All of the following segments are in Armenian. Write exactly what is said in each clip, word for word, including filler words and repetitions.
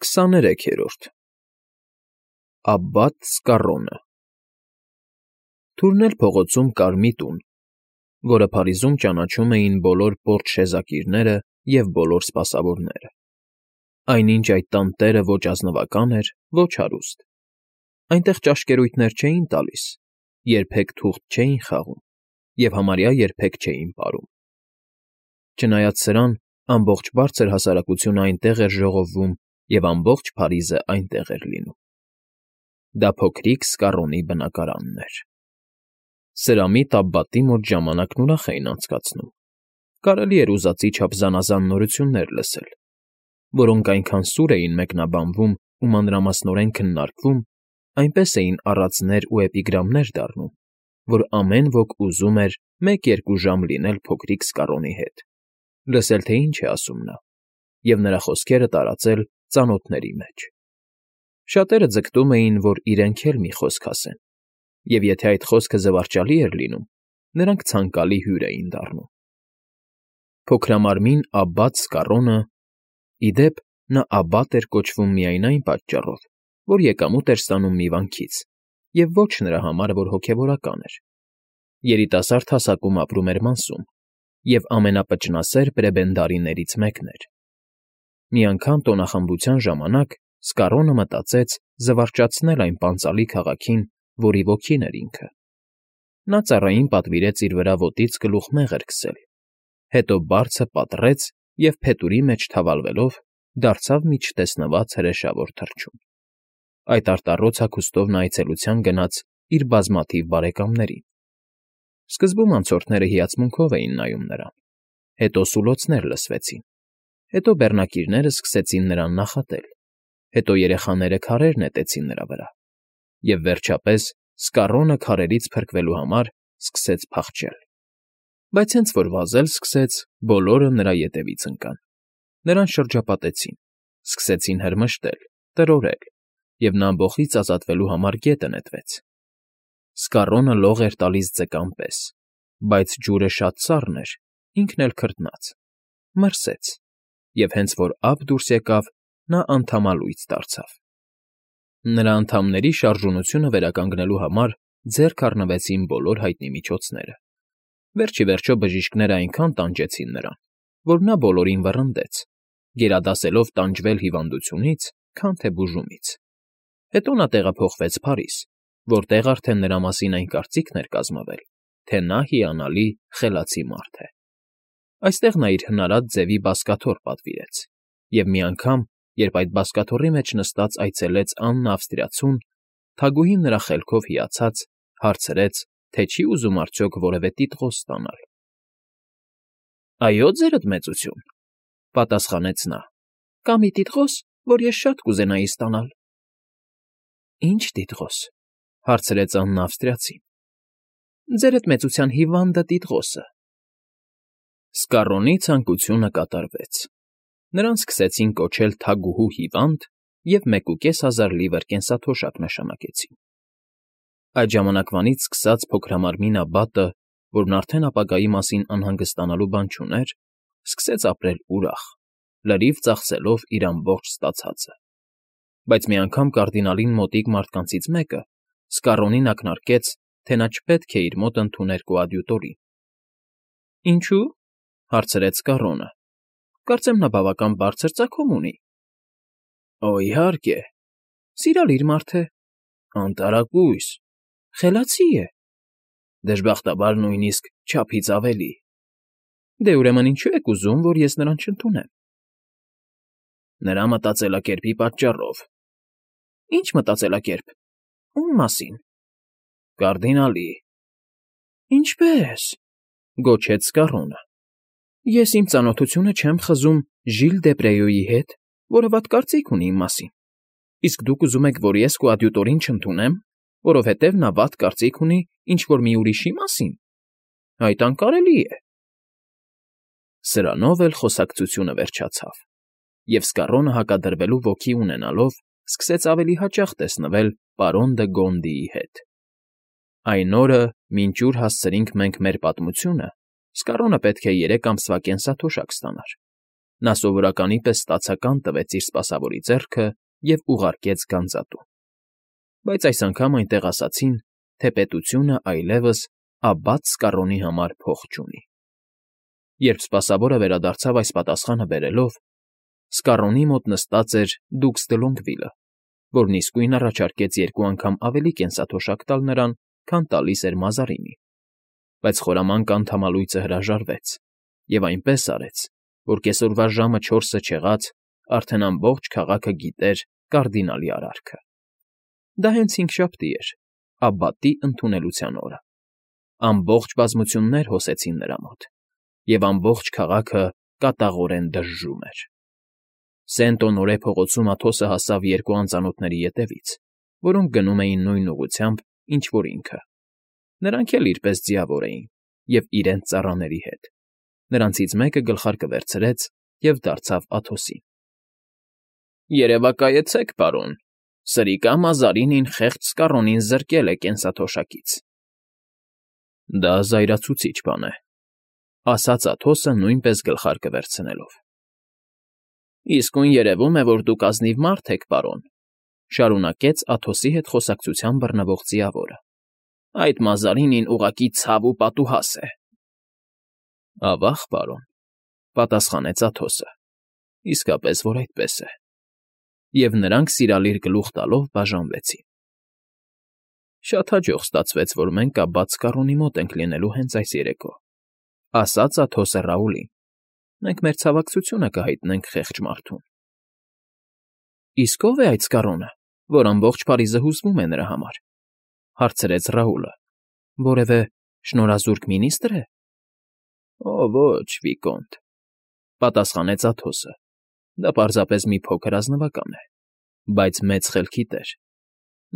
Քսաներեքերորդ Աբբատ Սկառոնը Թուրն էլ փողոցում կար մի տուն, որը Փարիզում ճանաչում էին բոլոր պորճ շեզակիրները և բոլոր սպասավորները. այնինչ այդ տան տերը ոչ ազնվական էր, ոչ հարուստ. այնտեղ ճաշկերույթներ չէին տալիս, երբեք թուղթ չէին խաղում և համարյա երբեք չէին պարում. չնայած սրան, ամբողջ բարձր հասարակությունը այնտեղ էր ժողովվում և ամբողջ Փարիզը այնտեղ էր լինում. դա փոքրիկ Սկառոնի բնակարանն էր. Սրամիտ Աբբատի մոտ ժամանակն ուրախ էին անցկացնում, կարելի էր ուզածի չափ զանազան նորություններ լսել, որոնք այնքան սուր էին մեկնաբանվում ու մանրամասնորեն քննարկվում, այնպես էին առածներ ու էպիգրամներ դառնում, որ ամեն ոք ուզում էր մեկ֊երկու ժամ լինել փոքրիկ Սկառոնի հետ, լսել, թե ինչ է ասում նա, և նրա խոսքերը տարածել ծանոթների մեջ. շատերը ձգտում էին, որ իրենք էլ մի խոսք ասեն, և եթե այդ խոսքը զվարճալի էր լինում, նրանք ցանկալի հյուր էին դառնում. Փոքրամարմին Աբբատ Սկառոնը (ի դեպ, նա Աբբատ էր կոչվում միայն այն պատճառով, որ եկամուտ էր ստանում մի վանքից, և ոչ նրա համար, որ հոգևորական էր) երիտասարդ հասակում ապրում էր Մանսում և ամենապճնասեր պրեբենդարիներից մեկն էր. մի անգամ տոնախմբության ժամանակ Սկառոնը մտածեց զվարճացնել այն պանծալի քաղաքին, որի ոգին էր ինքը. նա ծառային պատվիրեց իր վրա ոտից գլուխ մեղր քսել, հետո բարձը պատռեց և փետուրի մեջ թավալվելով դարձավ մի չտեսնված հրեշավոր թռչուն. այդ արտառոց հագուստով նա այցելության գնաց իր բազմաթիվ բարեկամներին. սկզբում անցորդները հիացմունքով էին նայում նրան, հետո սուլոցներ լսվեցին, հետո բեռնակիրները սկսեցին նրան նախատել, հետո երեխաները քարեր նետեցին նրա վրա, և վերջապես Սկառոնը քարերից փրկվելու համար սկսեց փախչել. բայց հենց որ վազել սկսեց, բոլորը նրա ետևից ընկան, նրան շրջապատեցին, սկսեցին հրմշտել, տրորել, և նա ամբոխից ազատվելու համար գետը նետվեց. Սկառոնը լող էր տալիս ձկան պես, բայց ջուրը շատ սառն էր, ինքն էլ քրտնած, մրսեց, և հենց որ ափ դուրս եկավ, նա անդամալույծ դարձավ. նրա անդամների շարժունությունը վերականգնելու համար ձեռք առնվեցին բոլոր հայտնի միջոցները. վերջ ի վերջո բժիշկները այնքան տանջեցին նրան, որ նա բոլորին վռնդեց, գերադասելով տանջվել հիվանդությունից, քան թե բուժումից. հետո նա տեղափոխվեց Փարիզ, որտեղ արդեն նրա մասին այն կարծիքն էր կազմվել, թե նա հիանալի, խելացի մարդ է. այստեղ նա իր հնարած ձևի բազկաթոռ պատվիրեց, և մի անգամ, երբ այդ բազկաթոռի մեջ նստած այցելեց Աննա Ավստրիացուն, թագուհին նրա խելքով հիացած, հարցրեց, թե չի ուզում արդյոք որևէ տիտղոս ստանալ. այո, ձերդ մեծություն, պատասխանեց նա, կա մի տիտղոս, որ ես շատ կուզենայի ստանալ. Ի՞նչ տիտղոս, հարցրեց Աննա Ավստրիացին. ձերդ մեծության հիվանդը տիտղոսը. Սկառոնի ցանկությունը կատարվեց. նրան սկսեցին կոչել թագուհու հիվանդ և մեկուկես հազար լիվր կենսաթոշակ նշանակեցին. այդ ժամանակվանից սկսած փոքրամարմին Աբբատը, որն արդեն ապագայի մասին անհանգստանալու բան չուներ, սկսեց ապրել ուրախ, լրիվ ծախսելով իր ամբողջ ստացածը. բայց մի անգամ կարդինալին մոտիկ մարդկանցից մեկը Սկառոնին ակնարկեց, թե նա չպետք է իր մոտ ընդուներ կոադյուտորին. Ինչո՞ւ, հարցրեց Սկառոնը, կարծեմ նա բավական բարձր ծագում ունի. Օ, իհարկե, սիրալիր մարդ է, անտարակույս, խելացի է, դժբախտաբար նույնիսկ չափից ավելի. դե ուրեմն ինչո՞ւ եք ուզում, որ ես նրան չընդունեմ. նրա մտածելակերպի պատճառով. Ի՞նչ մտածելակերպ, ո՞ւմ մասին. կարդինալի. Ինչպե՞ս, գոչեց Սկառոնը. ես իմ ծանոթությունը չեմ խզում Ժիլ դե Պրեոյի հետ, որը վատ կարծիք ունի իմ մասին, իսկ դուք ուզում եք, որ ես կոադյուտորին չընդունեմ, որովհետև նա վատ կարծիք ունի ինչ֊որ մի ուրիշի մասին. այդ անկարելի է. Սրանով էլ խոսակցությունը վերջացավ, և Սկառոնը հակադրվելու ոգի ունենալով սկսեց ավելի հաճախ տեսնվել պարոն դը Գոնդիի հետ. այն օրը, մինչ ուր հասցրինք մենք մեր պատմությունը, Սկառոնը պետք է երեք ամսվա կենսաթոշակ ստանար, Նա սովորականի պես ստացական տվեց իր սպասավորի ձեռքը և ուղարկեց գանձատուն։ Բայց այս անգամ այնտեղ ասացին, թե պետությունը այլևս Աբբատ Սկառոնի համար փող չունի։ Երբ սպասավորը վերադարձավ այս պատասխանը բերելով, Սկառոնի մոտ նստած էր Դուքս Դլոնգվիլը, որն իսկույն առաջարկեց երկու անգամ ավելի կենսաթոշակ տալ նրան, քան տալիս էր Մազարինին, բայց խորամանկ անդամալույծը հրաժարվեց և այնպես արեց, որ կեսօրվա ժամը չորսը չեղած արդեն ամբողջ քաղաքը գիտեր կարդինալի արարքը։ Դա հենց հինգշաբթի էր, Աբբատի ընդունելության օրը։ Ամբողջ բազմություններ հոսեցին նրա մոտ, և ամբողջ քաղաքը կատաղորեն դժժում էր։ Սենտ֊Օնորե փողոցում Աթոսը հասավ երկու անծանոթների ետևից, որոնք գնում էին նույն ուղղությամբ, ինչ որ ինքը։ Նրանք էլ իրպես ձիավոր էին և իրենց ծառաների հետ։ Նրանցից մեկը գլխարկը վերցրեց և դարձավ Աթոսին։ ֊ Երևակայեցեք, պարոն, սրիկա Մազարինին խեղճ Սկառոնին զրկել է կենսաթոշակից։ ֊ Դա զայրացուցիչ բան է,֊ ասաց Աթոսը նույնպես գլխարկը վերցնելով։ ֊ Իսկույն երևում է, որ դուք ազնիվ մարդ եք, պարոն,֊ շարունակեց Աթոսի հետ խոսակցության բռնվող ձիավորը։ Այդ Մազարինին ուղղակի ցավ ու պատուհաս է։ ֊ Ավա՜ղ, պարոն,֊ պատասխանեց Աթոսը,֊ իսկապես որ այդպես է։ Եվ նրանք սիրալիր գլուխ տալով բաժանվեցին։ ֊ Շատ հաջող ստացվեց, որ մենք Աբբատ Սկառոնի մոտ ենք լինելու հենց այս երեկո,֊ ասաց Աթոսը Ռաուլին։ Մենք մեր ցավակցությունը կհայտնենք խեղճ մարդուն։ ֊ Իսկ ո՞վ է այդ Սկառոնը, որ ամբողջ Փարիզը հուզվում է նրա համար,֊ հարցրեց Ռաուլը։ Որևէ շնորհազուրկ մինիստ՞ր է։ ֊ Օ, ոչ, վիկոնտ,֊ պատասխանեց Աթոսը։ Դա պարզապես մի փոքր ազնվական է, բայց մեծ խելքի տեր։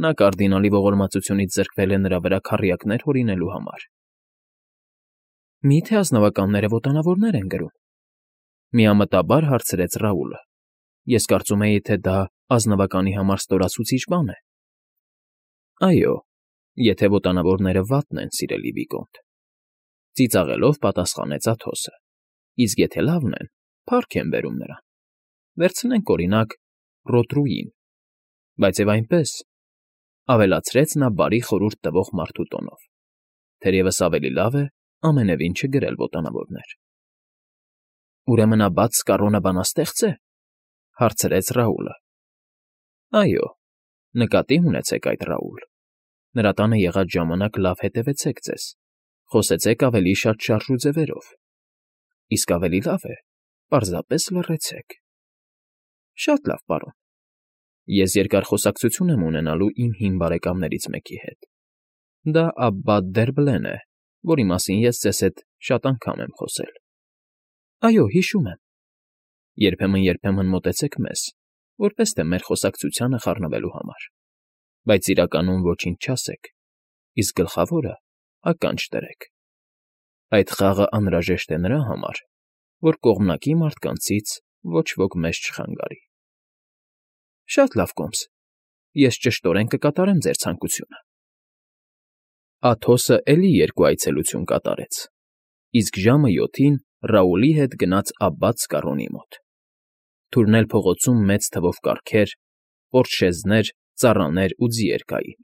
Նա կարդինալի ողորմածությունից զրկվել է նրա վրա քառյակներ հորինելու համար։ ֊ Մի՞թե ազնվականները ոտանավորներ են կրում,֊ միամտաբար հարցրեց Ռաուլը։ Ես կարծում էի, թե դա ազնվականի համար ստորացուցիչ բան է։ ֊ Այո, եթե ոտանավորները վատն են, սիրելի վիկոնտ,֊ ծիծաղելով պատասխանեց Աթոսը։ Իսկ եթե լավն են, փառք եմ բերում նրան։ Վերցնենք, օրինակ, Ռոտրուին։ Բայց և այնպես,֊ ավելացրեց նա բարի խորհուրդ տվող մարդու տոնով,֊ թերևս ավելի լավ է ամենևին չգրել ոտանավորներ։ ֊ Ուրեմն Աբբատ Սկառոնը բանաստեղծ է,֊ հարցրեց Ռաուլը։ ֊ Այո, նկատի ունեցեք այդ, Ռաուլ, նրա տանը եղած ժամանակ լավ հետևեցեք ձեզ, խոսեցեք ավելի շատ շարժուձևերով, իսկ ավելի լավ է, պարզապես լռեցեք։ ֊ Շատ լավ, պարոն։ Ես երկար խոսակցություն եմ ունենալու իմ հին բարեկամներից մեկի հետ։ Դա Աբբատ դեռ֊Բլեն է, որի մասին ես ձեզ հետ շատ անգամ եմ խոսել։ ֊ Այո, հիշում եմ։ ֊ Երբեմն֊երբեմն մոտեցեք մեզ, որպես թե մեր խոսակցությանը խառնվելու համար, բայց իրականում ոչինչ չասեք, իսկ գլխավորը ականջ դրեք։ Այդ խաղը անհրաժեշտ է նրա համար, որ կողմնակի մարդկանցից ոչ ոք մեզ չխանգարի։ ֊ Շատ լավ, կոմս, ես ճշտորեն կկատարեմ ձեր ցանկությունը։ Աթոսը էլի երկու այցելություն կատարեց, իսկ ժամը յոթին Ռաուլի հետ գնաց Աբբատ Սկառոնի մոտ։ Թուրնել փողոցում մեծ թվով կառքեր, պորտշեզներ, ծառաներ ու ձիեր կային։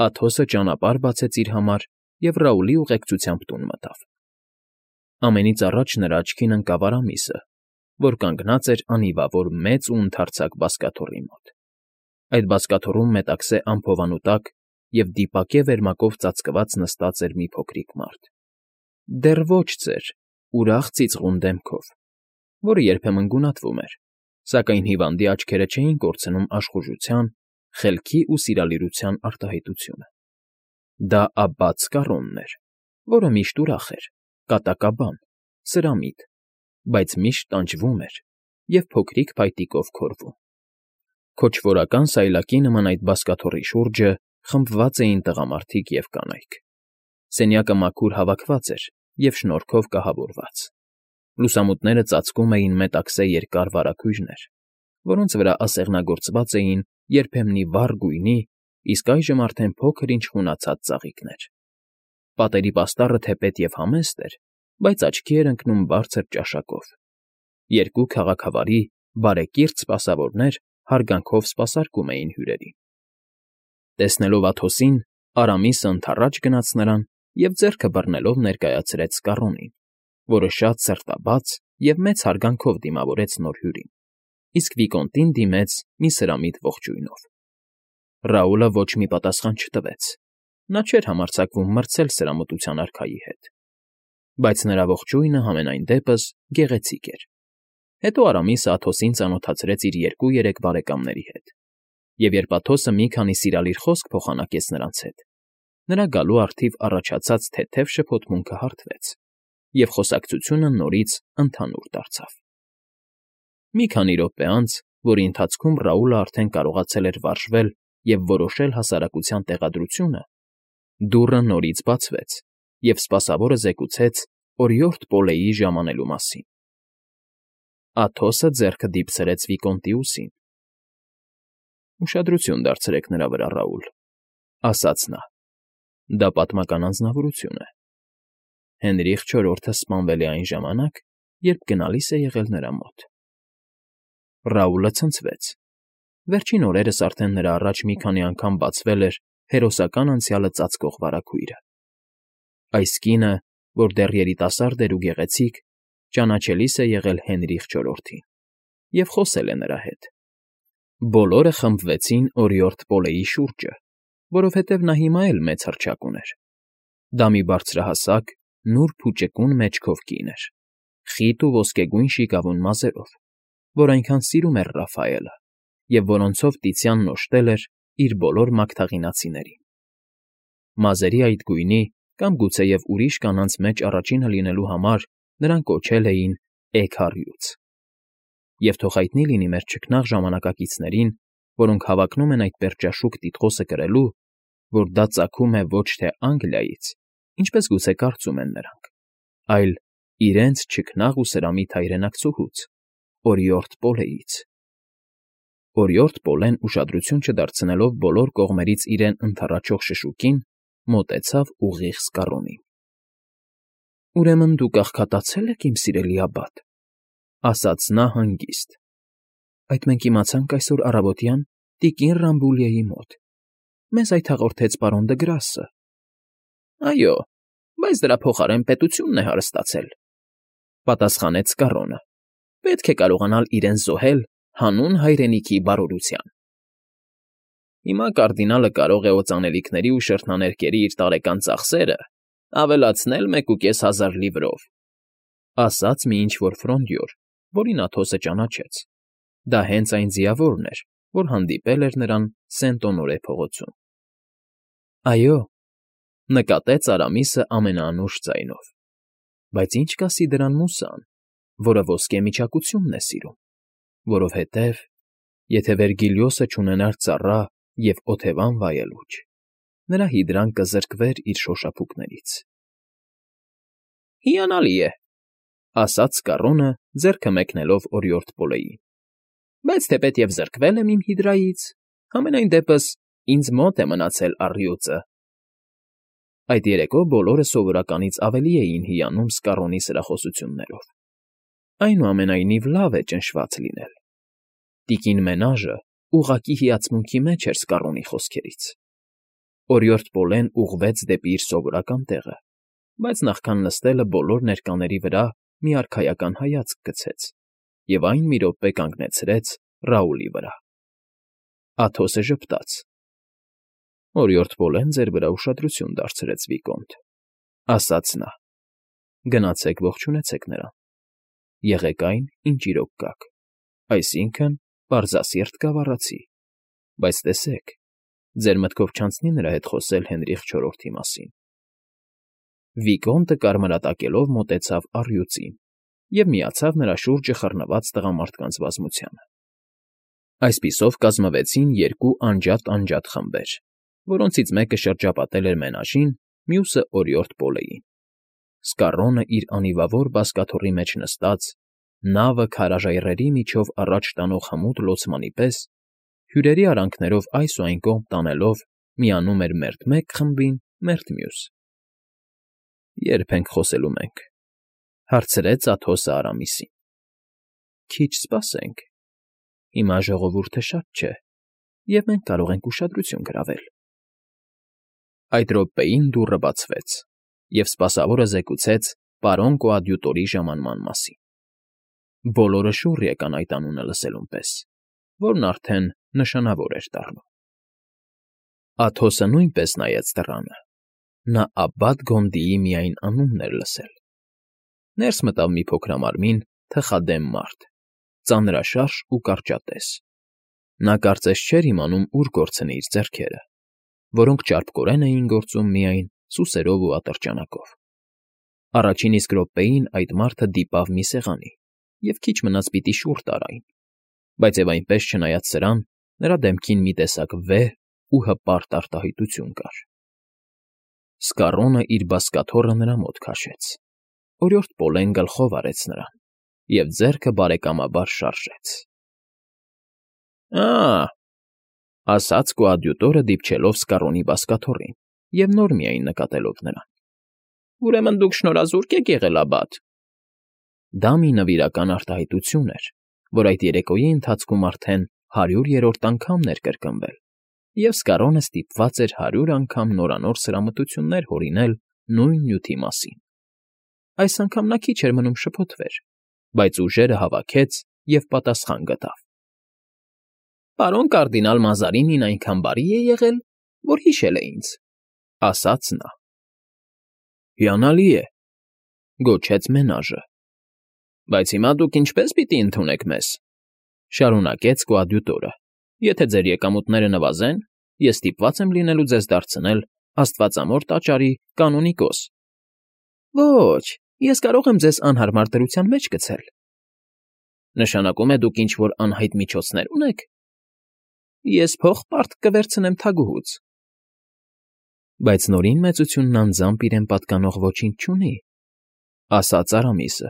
Աթոսը ճանապարհ բացեց իր համար և Ռաուլի ուղեկցությամբ տուն մտավ։ Ամենից առաջ նրա աչքին ընկավ Արամիսը, որ կանգնած էր անիվավոր մեծ ու ընդարձակ բազկաթոռի մոտ։ Այդ բազկաթոռում մետաքսե ամփովանու տակ և դիպակե վերմակով ծածկված նստած էր մի փոքրիկ մարդ։ Դեռ ոչ ծեր, ուրախ ծիծաղուն դեմքով, որը երբեմն գունատվում էր, սակայն հիվանդի աչքերը չէին կորցնում աշխուժության, խելքի ու սիրալիրության արտահայտությունը։ Դա Աբբատ Սկառոնն էր, որը միշտ ուրախ էր, կատակաբան, սրամիտ, բայց միշտ տանջվում էր և փոքրիկ փայտիկով քորվում։ Քոչվորական սայլակի նման այդ բազկաթոռի շուրջը խմբված էին տղամարդիկ և կանայք։ Սենյակը մաքուր հավաքված էր և շնորհքով կահավորված։ Լուսամուտները ծածկում էին մետաքսե երկար վարագույրներ, որոնց վրա ասեղնագործված էին երբեմնի վառ գույնի, իսկ այժմ արդեն փոքր֊ինչ խունացած ծաղիկներ։ Պատերի պաստառը թեպետ և համեստ էր, բայց աչքի էր ընկնում բարձր ճաշակով։ Երկու քաղաքավարի, բարեկիրթ սպասավորներ հարգանքով սպասարկում էին հյուրերին։ Տեսնելով Աթոսին, Արամիսը ընդառաջ գնաց նրան և ձեռքը բռնելով ներկայացրեց Սկառոնին, որը շատ սրտաբաց և մեծ հարգանքով դիմավորեց նոր հյուրին, իսկ վիկոնտին դիմեց մի սրամիտ ողջույնով։ Ռաուլը ոչ մի պատասխան չտվեց. նա չէր համարձակվում մրցել սրամտության արքայի հետ, բայց նրա ողջույնը համենայն դեպս գեղեցիկ էր։ Հետո Արամիսը Աթոսին ծանոթացրեց իր երկու֊երեք բարեկամների հետ, և երբ Աթոսը մի քանի սիրալիր խոսք փոխանակեց նրանց հետ, նրա գալու առթիվ առաջացած թեթև շփոթմունքը հարթվեց, և խոսակցությունը նորից ընդհանուր դարձավ։ Մի քանի րոպե անց, որի ընթացքում Ռաուլը արդեն կարողացել էր վարժվել և որոշել հասարակության տեղադրությունը, դուռը նորից բացվեց, և սպասավորը զեկուցեց օրիորդ Պոլեի ժամանելու մասին։ Աթոսը ձեռքը դիպցրեց վիկոնտի ուսին։ «Ուշադրություն դարձրեք նրա վրա, Ռաուլ,֊ ասաց նա,֊ դա պատմական անձնավորություն է։ Հենրիխ չորրորդը սպանվել է այն ժամանակ, երբ գնալիս է եղել նրա մոտ»։ Ռաուլը ցնցվեց։ Վերջին օրերս արդեն նրա առաջ մի քանի անգամ բացվել էր հերոսական անցյալը ծածկող վարագույրը։ Այս կինը, որ դեռ երիտասարդ էր ու գեղեցիկ, ճանաչելիս է եղել Հենրիխ չորրորդին և խոսել է նրա հետ։ Բոլորը խմբվեցին օրիորդ Պոլեի շուրջը, որովհետև նա հիմա էլ մեծ հռչակ ուներ։ Դա մի բարձրահասակ, նուրբ ու ճկուն մեջքով կին էր, խիտ ու ոսկեգույն շիկավուն մազերով, որ այնքան սիրում էր Ռաֆայելը, և որոնցով Տիցիանն օժտել էր իր բոլոր մագթաղինացիներին։ Մազերի այդ գույնի կամ գուցեև ուրիշ կանանց մեջ առաջինը լինելու համար նրան կոչել էին Էգ֊առյուծ։ Եվ թող հայտնի լինի մեր չքնաղ ժամանակակիցներին, որոնք հավակնում են այդ պերճաշուք տիտղոսը կրելու, որ դա ծագում է ոչ թե Անգլիայից, ինչպես գուցե կարծում են նրանք, այլ իրենց չքնաղ ու սրամիտ հայրենակցուհուց՝ օրիորդ Պոլեից։ Օրիորդ Պոլեն, ուշադրություն չդարձնելով բոլոր կողմերից իրեն ընդառաջող շշուկին, մոտեցավ ուղիղ Սկառոնին։ «Ուրեմն դուք աղքատացե՞լ եք, իմ սիրելի աբբատ,֊ ասաց նա հանգիստ։ Այդ մենք իմացանք այսօր առավոտյան տիկին Ռամբուլիեի մոտ. մեզ այդ հաղորդեց պարոն Դգրասը։ ֊ Այո, բայց դրա փոխարեն պետությունն է հարստացել,֊ պատասխանեց Սկառոնը։ Պետք է կարողանալ իրեն զոհել հանուն հայրենիքի բարօրության։ Հիմա կարդինալը կարող է օծանելիքների ու շրթնաներկերի իր տարեկան ծախսերը ավելացնել մեկուկես հազար լիվրով,֊ ասաց մի ինչ֊որ ֆրոնդյոր, որին Աթոսը ճանաչեց. դա հենց այն ձիավորն էր, որ հանդիպել էր նրան Սենտ֊Օնորե փողոցում։ ֊ Այո,֊ նկատեց Արամիսը ամենաանուշ ձայնով,֊ բայց ինչ կասի դրան մուսան, որը ոսկե միջակությունն է սիրում, որովհետև, եթե Վերգիլիոսը չունենար ծառա և օթևան վայելուչ, նրա հիդրան կզրկվեր իր շոշափուկներից։ ֊ Հիանալի է,֊ ասաց Սկառոնը, ձեռքը մեկնելով օրիորդ Պոլեին,֊ բայց թեպետև զրկվել եմ իմ հիդրայից, համենայն դեպս ինձ մոտ է մնացել առյուծը։ Այդ երեկո բոլորը սովորականից ավելի էին հիանում Սկառոնի սրախոսություններով։ Այնուամենայնիվ լավ է ճնշված լինել։ Տիկին Մենաժը ուղղակի հիացմունքի մեջ էր Սկառոնի խոսքերից։ Օրիորդ Պոլեն ուղղվեց դեպի իր սովորական տեղը, բայց նախքան նստելը բոլոր ներկաների վրա մի արքայական հայացք գցեց և այն մի րոպե կանգնեցրեց Ռաուլի վրա։ Աթոսը ժպտաց. «Օրիորդ Պոլեն ձեր վրա ուշադրություն դարձրեց, վիկոնտ,֊ ասաց նա,֊ գնացեք ողջունեցեք նրան։ Եղեք այն, ինչ իրոք կաք, այսինքն՝ պարզասիրտ գավառացի, բայց տեսեք, ձեր մտքով չանցնի նրա հետ խոսել Հենրիխ չորրորդի մասին»։ Վիկոնտը կարմրատակելով մոտեցավ առյուծին և միացավ նրա շուրջը խռնված տղամարդկանց բազմությանը։ Այսպիսով կազմվեցին երկու անջատ֊անջատ խմբեր, որոնցից մեկը շրջապատել էր Մենաժին, մյուսը՝ օրիորդ Պոլեին։ Սկառոնը իր անիվավոր բազկաթոռի մեջ նստած, նավը քարաժայռերի միջով առաջ տանող հմուտ լոցմանի պես, հյուրերի արանքներով այս ու այն կողմ տանելով միանում էր մերթ մեկ խմբին, մերթ մյուս։ ֊ Ե՞րբ ենք խոսելու մենք,֊ հարցրեց Աթոսը Արամիսին։ Քիչ սպասենք։ Հիմա ժողովուրդը շատ չէ, և մենք կարող ենք ուշադրություն գրավել։ Այդ րոպեին դուռը բացվեց, և սպասավորը զեկուցեց պարոն կոադյուտորի ժամանման մասին։ Բոլորը շուռ եկան այդ անունը լսելուն պես, որն արդեն նշանավոր էր դառնում։ Աթոսը նույնպես նայեց դռանը. նա Աբբատ Գոնդիի միայն անունն էր լսել։ Ներս մտավ մի փոքրամարմին, թխադեմ մարդ, ծանրաշարժ ու կարճատես։ Նա կարծես չէր իմանում ուր կորցնի իր ձեռքերը, որոնք ճարպկորեն էին գործում միայն սուսերով ու ատրճանակով։ Առաջին իսկ րոպեին այդ մարդը դիպավ մի սեղանի և քիչ մնաց պիտի շուռ տար այն, բայց և այնպես չնայած սրան, նրա դեմքին մի տեսակ վեհ ու հպարտ արտահայտություն կար։ Սկառոնը իր բազկաթոռը նրա մոտ քաշեց, օրիորդ Պոլեն գլխով արեց նրան և ձեռքը բարեկամաբար շարժեց։ Ա՜, ասաց կոադյուտորը, դիպչելով Սկառոնի բազկաթոռին և նոր միայն նկատելով նրան։ Ուրեմն դուք շնորհազուրկ եք եղել, Աբբատ։ Դա մի նվիրական արտահայտություն էր, որ այդ երեկոյի ընթացքում արդեն հարյուրերորդ անգամն էր կրկնվել, և Սկառոնը ստիպված էր հարյուր անգամ նորանոր սրամտություններ հորինել նույն նյութի մասին։ Այս անգամ նա քիչ էր մնում շփոթվեր, բայց ուժերը հավաքեց և պատասխան գտավ։ Պարոն կարդինալ Մազարինին այնքան բարի է եղել, որ հիշել է ինձ, ասաց նա։ Հիանալի է, գոչեց Մենաժը։ Բայց հիմա դուք ինչպե՞ս պիտի ընդունեք մեզ, շարունակեց կոադյուտորը։ Եթե ձեր եկամուտները նվազեն, ես ստիպված եմ լինելու ձեզ դարձնել աստվածամոր տաճարի կանոնիկոս։ Ոչ, ես կարող եմ ձեզ անհարմար դրության մեջ գցել։ Նշանակում է դուք ինչ֊որ անհայտ միջոցներ ունեք։ Ես փող պարտք կվերցնեմ թագուհուց։ Բայց Նորին մեծությունն անձամբ իրեն պատկանող ոչինչ չունի, ասաց Արամիսը,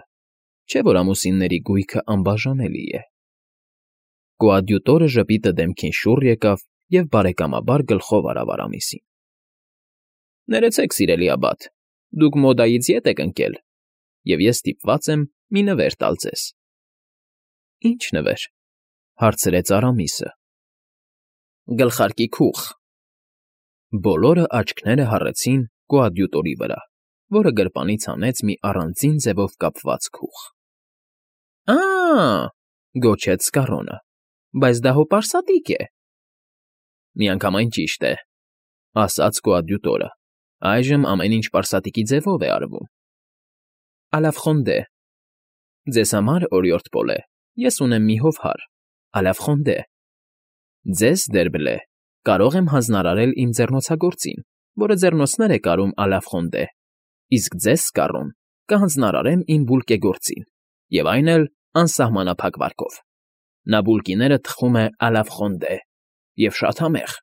չէ՞ որ ամուսինների գույքը անբաժանելի է։ Կոադյուտորը ժպիտը դեմքին շուռ եկավ և բարեկամաբար գլխով արավ Արամիսին։ Ներեցեք, սիրելի Աբբատ, դուք մոդայից ետ եք ընկել, և ես ստիպված եմ մի նվեր տալ ձեզ։ Ի՞նչ նվեր, հարցրեց Արամիսը։ Գլխարկի քուղ։ Բոլորը աչքները հառեցին կոադյուտորի վրա, որը գրպանից հանեց մի առանձին ձևով կապված քուղ։ Ա՜, գոչեց Սկառոնը, բայց դա հո պարսատիկ է։ Միանգամայն ճիշտ է, ասաց կոադյուտորը, այժմ ամեն ինչ պարսատիկի ձևով է արվում։ Ալաֆխոնդե։ Ձեզ համար, օրիորդ Պոլե, ես ունեմ մի հովհար, Ալաֆխոնդե։ Ձեզ, Դերբլե, կարող եմ հանձնարարել իմ ձեռնոցագործին, որը ձեռնոցներ է կարում Ալաֆխոնդե, իսկ ձեզ, Սկառոն, կհանձնարարեմ իմ բուլկեգործին, և այն էլ անսահմանափակ վարկով։ Նա բուլկիները թխում է Ալաֆխոնդե և շատ համեղ։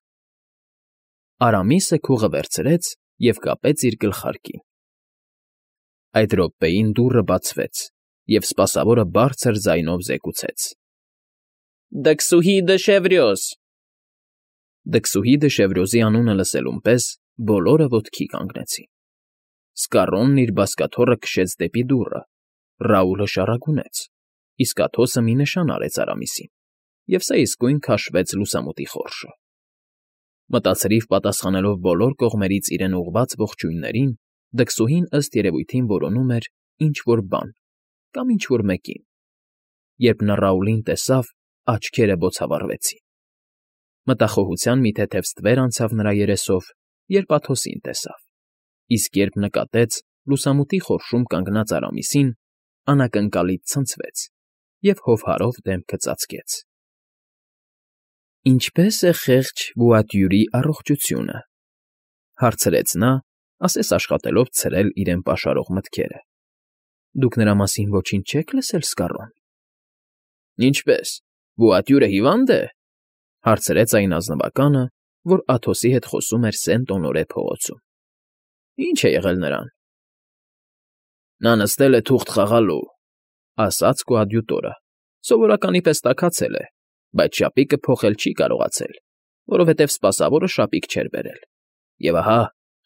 Արամիսը քուղը վերցրեց և կապեց իր գլխարկին։ Այդ րոպեին դուռը բացվեց, և սպասավորը բարձր ձայնով զեկուցեց. Դքսուհի դը Շևրյոս։ Դքսուհի դը Շևրյոզի անունը լսելուն պես բոլորը ոտքի կանգնեցին։ Սկառոնն իր բազկաթոռը քշեց դեպի դուռը, Ռաուլը շառագունեց, իսկ Աթոսը մի նշան արեց Արամիսին, և սա իսկույն քաշվեց լուսամուտի խորշը։ Մտածրիվ պատասխանելով բոլոր կողմերից իրեն ուղղված ողջույններին, դքսուհին ըստ երևույթին որոնում էր ինչ֊որ բան կամ ինչ֊որ մեկին։ Երբ նա Ռաուլին տեսավ, աչքերը բոցավառվեցին։ Մտախոհության մի թեթև ստվեր անցավ նրա երեսով, երբ Աթոսին տեսավ, իսկ երբ նկատեց լուսամուտի խորշում կանգնած Արամիսին, անակնկալից ցնցվեց և հովհարով դեմքը ծածկեց։ Ինչպե՞ս է խեղճ Բուատյուրի առողջությունը, հարցրեց նա, ասես աշխատելով ցրել իրեն պաշարող մտքերը։ Դուք նրա մասին ոչինչ չե՞ք լսել, Սկառոն։ Ինչպե՞ս, Բուատյուրը հիվա՞նդ է, հարցրեց այն ազնվականը, որ Աթոսի հետ խոսում էր Սենտ֊Օնորե փողոցում։ Ի՞նչ է եղել նրան։ Նա նստել է թուղթ խաղալու, ասաց կոադյուտորը, սովորականի պես տաքացել է, բայց շապիկը փոխել չի կարողացել, որովհետև սպասավորը շապիկ չէր բերել, և ահա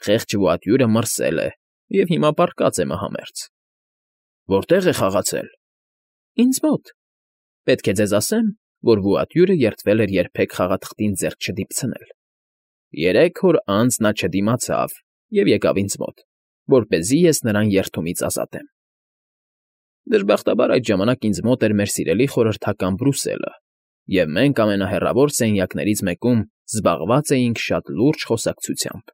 խեղճ Բուատյուրը մրսել է և հիմա պառկած է մահամերձ։ Որտե՞ղ է խաղացել։ Ինձ մոտ։ Պետք է ձեզ ասեմ, որ վուատյուրը երդվել էր երբեք խաղաթղթին ձեռք չդիպցնել. երեք օր անց նա չդիմացավ և եկավ ինձ մոտ, որպեսզի ես նրան երդումից ազատեմ։ Դժբախտաբար այդ ժամանակ ինձ մոտ էր մեր սիրելի խորհրդական Բրուսելը, և մենք ամենահեռավոր սենյակներից մեկում զբաղված էինք շատ լուրջ խոսակցությամբ։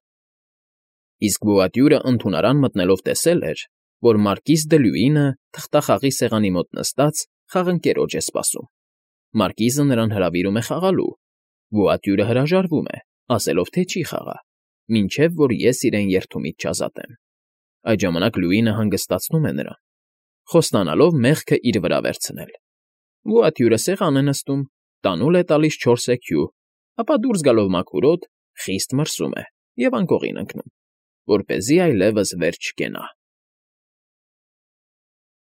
Իսկ վուատյուրը ընդունարան մտնելով տեսել էր, որ մարկիս Դլյուինը թղթախաղի սեղանի մոտ նստած խաղընկերոջ է սպասում։ Մարկիզը նրան հրավիրում է խաղալու, վուատյուրը հրաժարվում է, ասելով, թե չի խաղա, մինչև որ ես իրեն երդումից չազատեմ։ Այդ ժամանակ Լյուինը հանգստացնում է նրան, խոստանալով մեղքը իր վրա վերցնել։ Վուատյուրը սեղան է նստում, տանուլ է տալիս չորս էքյու, ապա դուրս գալով մաքուր օդ, խիստ մրսում է և անկողին ընկնում, որպեսզի այլևս վեր չկենա։